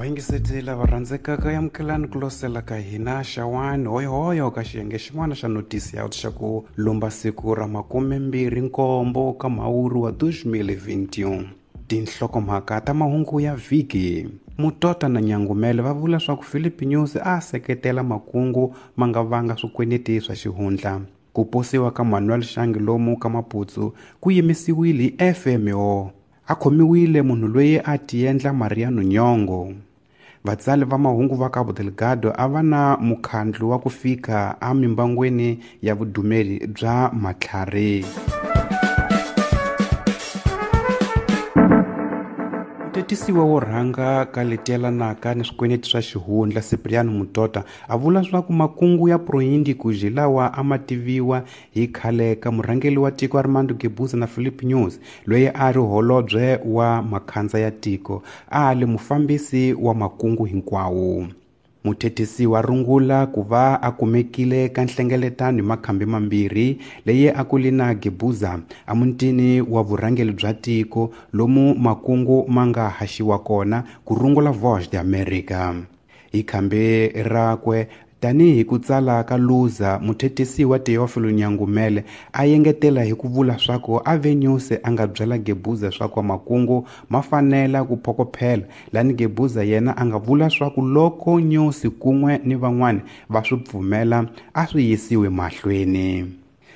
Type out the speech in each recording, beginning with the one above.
Vayingiseti lava rhandzekaka, amukelani ku losela ka hina xawani hoyohoyo ka xiyenge xin'wana xa notisi ya xa ku lumba siku ra 27 ka Mhawuri wa 2021. Tinhlokomhaka ta mahungu ya vhiki. Mutota na Nyangumele va vula swa ku Philip Nyusi a seketela makungu ma nga vanga swikweneti swa xihundla. Ku posiwa ka Manuel Shangi lomu ka Maputsu ku yimisiwile hi FMO. A khomiwile munhu loyi a tiendla Mariano Nyongo. Vatsali va mahungu va Cabo Delgado a va na mukhandlu wa ku fika emimbangweni ya vudumeli bya matlhari. Mutetisiwa wo rhanga ka leti yelanaka ni swikweneti swa xihundla Cipriano Mutota a vula swa ku makungu ya Proindicus lawa a ma tiviwa hi khale ka murhangeri wa tiko Armando Guebuza na Philip Nyusi, loyi a ri holobye wa makhandza ya tiko, a li mufambisi wa makungu hinkwawo. Muthetisi wa rungula ku va a kumekile ka nhlengeletano hi makhambi mambirhi leyi a ku li na Guebuza emutini wa vurhangeri bya tiko lomu makungu ma nga haxiwa kona ku rungula Voz de America. Hi khambi rakwe tanihi ku tsala ka Luza, muthetisi wa Teofilo Nyangumele a yengetela hi ku vula swa ku ave Nyusi a nga byela Guebuza swa ku makungu ma fanela ku phokophela, lani Guebuza yena a nga vula swa ku loko Nyusi kun'we ni van'wani va swi pfumela a swi yisiwe mahlweni.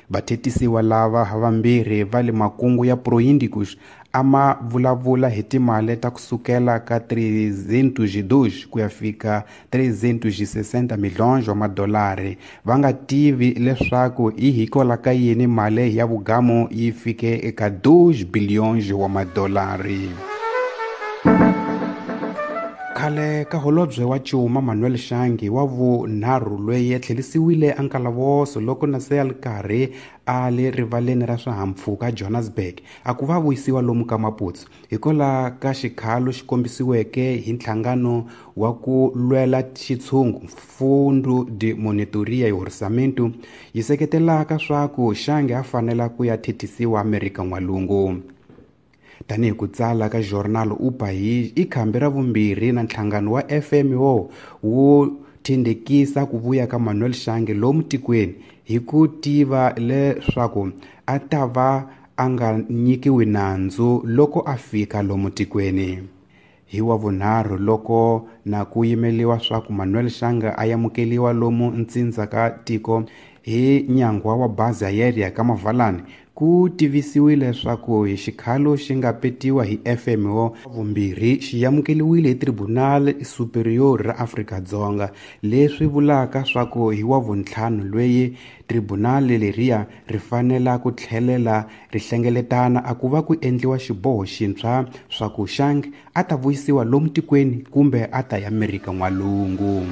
Vathetisiwa lava havambirhi va le makungu ya Proindicus a ma vulavula hi timali ta kusukela ka 302 ku ya fika 360 milhões wa madolari, va nga tivi leswaku i hikwalaho ka yini mali ya vugamu yi fike eka 2 billions wa madolari. Khale ka holobye wa Cuma Manuel Shangi wa vunharhu loyi a tlherisiwile eNkalavoso loko na se a ri karhi a le rivaleni ra swihahampfhuka Johannesburg a ku va vuyisiwa lomu ka Maputsu hikwalaho ka xikhalo xi kombisiweke hi nhlangano wa ku lwela xitshungu Fundo de Monitoria e Orçamento yi seketelaka swa ku Shangi a fanela ku ya thethisiwa Amerika N'walungu. Tanihi ku tsala ka Jornal O País, i khambi ra vumbirhi na nhlangano wa FMO wu tindekisa ku vuya ka Manuel Shangi lomu tikweni hi ku tiva leswaku a ta va a nga nyikiwi nandzu loko a fika lomu tikweni. Hi wa vunharhu loko na ku yimeliwa swa ku Manuel Shangi a amukeliwa lomu ntsindza ka tiko hi nyangwa wa bazi aérea ka Mavalani, ku tivisiwile leswaku hi xikhalo xi nga petiwa hi FMO vumbirhi xi amukeliwile hi Tribunal Superior ra Afrika-Dzonga, leswi vulaka swa ku hi wa vuntlhanu loyi tribunal leriya ri fanela ku tlhelela ri hlengeletana a ku va ku endliwa xiboho xintshwa swa ku Shangi a ta vuyisiwa lomu tikweni kumbe a ta ya Amerika N'walungu.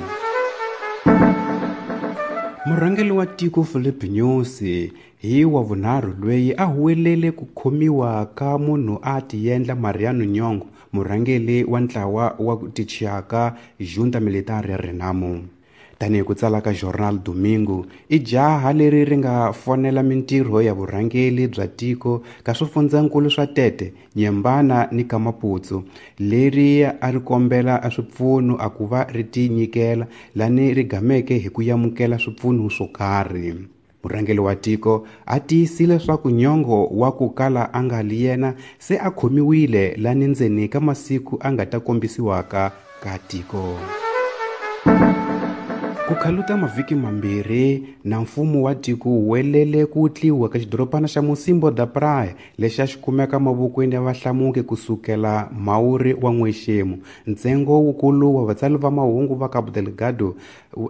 Murhangeri wa tiko Philip Nyusi hi wa vunharhu loyi a huwelele ku khomiwa ka munhu a tiendla Mariano Nyongo, murhangeri wa ntlawa wa tichiyaka Junta Militar ya Renamo. Tanihi ku tsala ka Jornal Domingo, i jaha leri ri nga fonela mintirho ya vurhangeri bya tiko ka swifundzankulu swa Tete, Nyembana ni Kamaputsu, leri a ri kombela a swipfuno a ku va ri tinyikela lani ri gameke hi ku amukela swipfuno swo karhi. Murhangeri wa tiko a tiyisile leswaku Nyongo wa ku kala a nga li yena se a khomiwile lani ndzeni ka masiku a nga ta kombisiwaka ka tiko. Ku khaluta mavhiki mambirhi na mfumo wa tiko wu welele ku tliwa ka xidorobana xa Mocímboa da Praia lexi a xi kumeka mavokweni ya vahlamuki kusukela Mhawuri wa n'wexemu. Ntsengo wukulu wa vatsali va mahungu va Cabo Delgado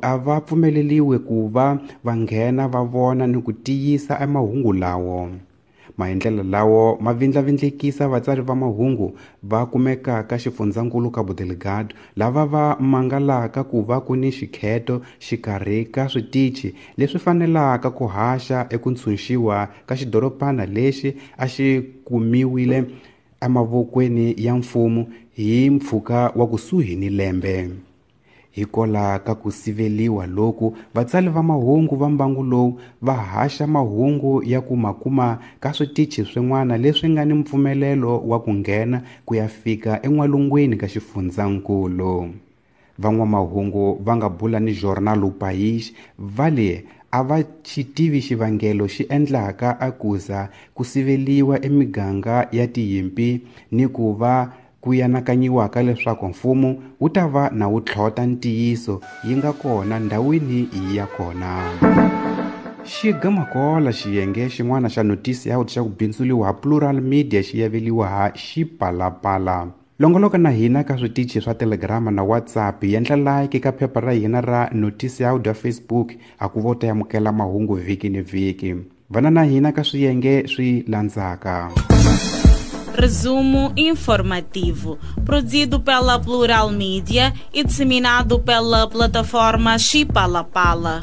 a va pfumeleliwe ku va va nghena va vona ni ku tiyisa emahungu lawo. Maendlelo lawo ma vindlavindlekisa vatsari va mahungu va kumekaka xifundzankulu Cabo Delgado lava va mangalaka ku va ku ni xikheto xikarhi ka switichi leswi fanelaka ku haxa eku ntshunxiwa ka xidorobana lexi a xi kumiwile emavokweni ya mfumo hi mpfhuka wa kusuhi ni lembe. Hikola ka ku siveliwa loku, vatsali va mahungu va mbangu lowu va haxa mahungu ya ku ma kuma ka switichi swin'wana leswi nga ni mpfumelelo wa ku nghena ku ya fika en'walungwini ka xifundzankulu. Van'wamahungu va nga bula ni Jornal O País va le a va xi tivi xivangelo xi endlaka a kuza ku siveliwa emiganga ya tiyimpi ni ku va ku yanakanyiwaka leswaku mfumo wu ta va na wu tlhota ntiyiso yi nga kona ndhawini ya kona. Xigamakola xiyenge xin'wana xa Noticias xa ku bindzuliwa ha Plural Media xi yaveliwa ha Xipalapala. Longoloka na hina ka switichi swa Telegram na WhatsApp, yendla like ka phepha ra hina ra Noticias ya Facebook a ku vo ta amukela mahungu vhiki ni vhiki. Vana na hina ka swiyenge swi landzaka. Resumo informativo, produzido pela Plural Mídia e disseminado pela plataforma Xipalapala.